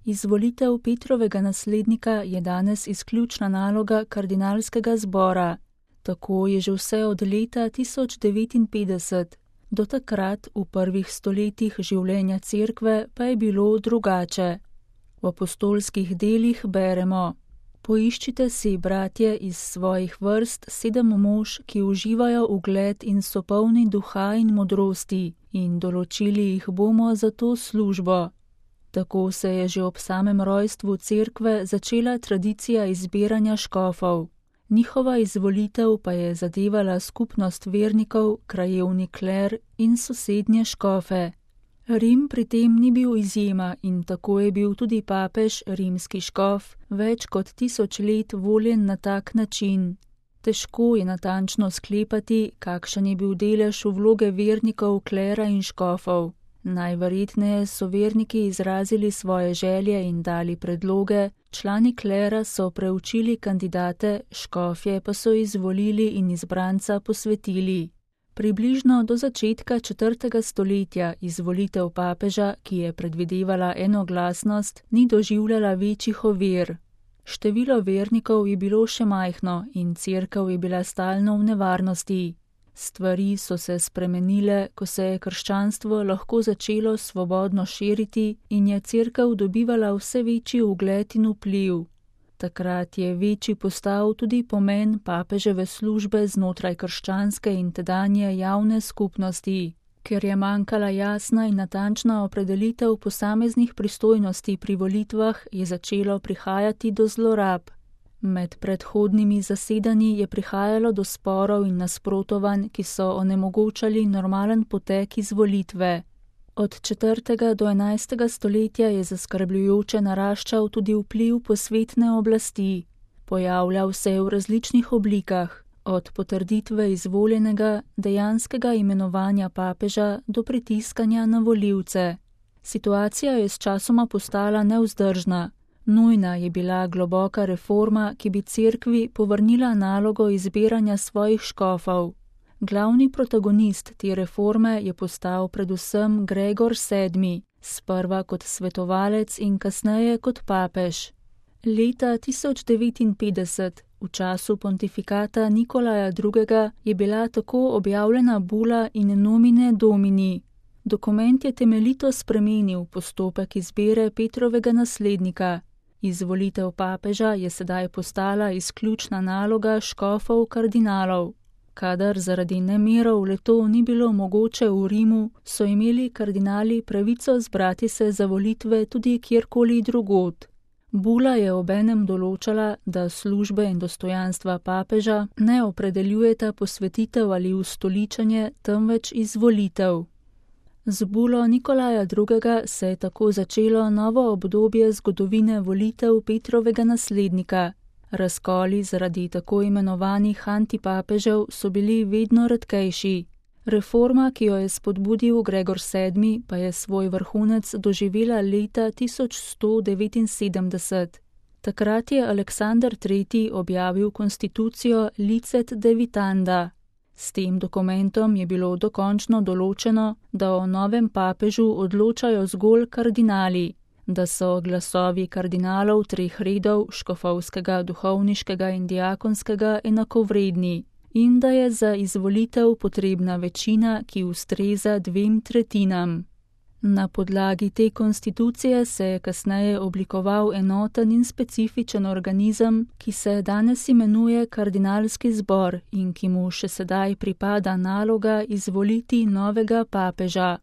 Izvolitev Petrovega naslednika je danes izključna naloga kardinalskega zbora. Tako je že vse od leta 1059. Do takrat, v prvih stoletjih življenja cerkve, pa je bilo drugače. V apostolskih delih beremo: Poiščite si, bratje, iz svojih vrst 7 mož, ki uživajo ugled in so polni duha in modrosti, in določili jih bomo za to službo. Tako se je že ob samem rojstvu cerkve začela tradicija izbiranja škofov. Njihova izvolitev pa je zadevala skupnost vernikov, krajevni kler in sosednje škofe. Rim pri tem ni bil izjema in tako je bil tudi papež, rimski škof, več kot 1000 let voljen na tak način. Težko je natančno sklepati, kakšen je bil delež vloge vernikov, klera in škofov. Najverjetneje so verniki izrazili svoje želje in dali predloge, člani klera so preučili kandidate, škofje pa so izvolili in izbranca posvetili. Približno do začetka 4. stoletja izvolitev papeža, ki je predvidevala enoglasnost, ni doživljala večjih ovir. Število vernikov je bilo še majhno in cerkev je bila stalno v nevarnosti. Stvari so se spremenile, ko se je krščanstvo lahko začelo svobodno širiti in je cerkev dobivala vse večji ugled in vpliv. Takrat je večji postal tudi pomen papeževe službe znotraj krščanske in tedanje javne skupnosti. Ker je manjkala jasna in natančna opredelitev posameznih pristojnosti pri volitvah, je začelo prihajati do zlorab. Med predhodnimi zasedanji je prihajalo do sporov in nasprotovanj, ki so onemogočali normalen potek izvolitve. Od 4. do 11. stoletja je zaskrbljujoče naraščal tudi vpliv posvetne oblasti. Pojavljal se je v različnih oblikah, od potrditve izvoljenega, dejanskega imenovanja papeža do pritiskanja na volivce. Situacija je sčasoma postala nevzdržna. Nujna je bila globoka reforma, ki bi cerkvi povrnila nalogo izbiranja svojih škofov. Glavni protagonist te reforme je postal predvsem Gregor VII., sprva kot svetovalec in kasneje kot papež. Leta 1059, v času pontifikata Nikolaja II., je bila tako objavljena bula in nomine domini. Dokument je temeljito spremenil postopek izbire Petrovega naslednika. Izvolitev papeža je sedaj postala izključna naloga škofov kardinalov. Kadar zaradi nemirov le-to ni bilo mogoče v Rimu, so imeli kardinali pravico zbrati se za volitve tudi kjerkoli drugod. Bula je obenem določala, da službe in dostojanstva papeža ne opredeljujeta posvetitev ali ustoličenje, temveč izvolitev. Z bulo Nikolaja II. Se je tako začelo novo obdobje zgodovine volitev Petrovega naslednika. Razkoli zaradi tako imenovanih antipapežev so bili vedno redkejši. Reforma, ki jo je spodbudil Gregor VII., pa je svoj vrhunec doživela leta 1179. Takrat je Aleksander III. Objavil konstitucijo Licet Divitanda. S tem dokumentom je bilo dokončno določeno, da o novem papežu odločajo zgolj kardinali, da so glasovi kardinalov 3 redov, škofovskega, duhovniškega in diakonskega, enakovredni in da je za izvolitev potrebna večina, ki ustreza 2/3. Na podlagi te konstitucije se je kasneje oblikoval enoten in specifičen organizem, ki se danes imenuje kardinalski zbor in ki mu še sedaj pripada naloga izvoliti novega papeža.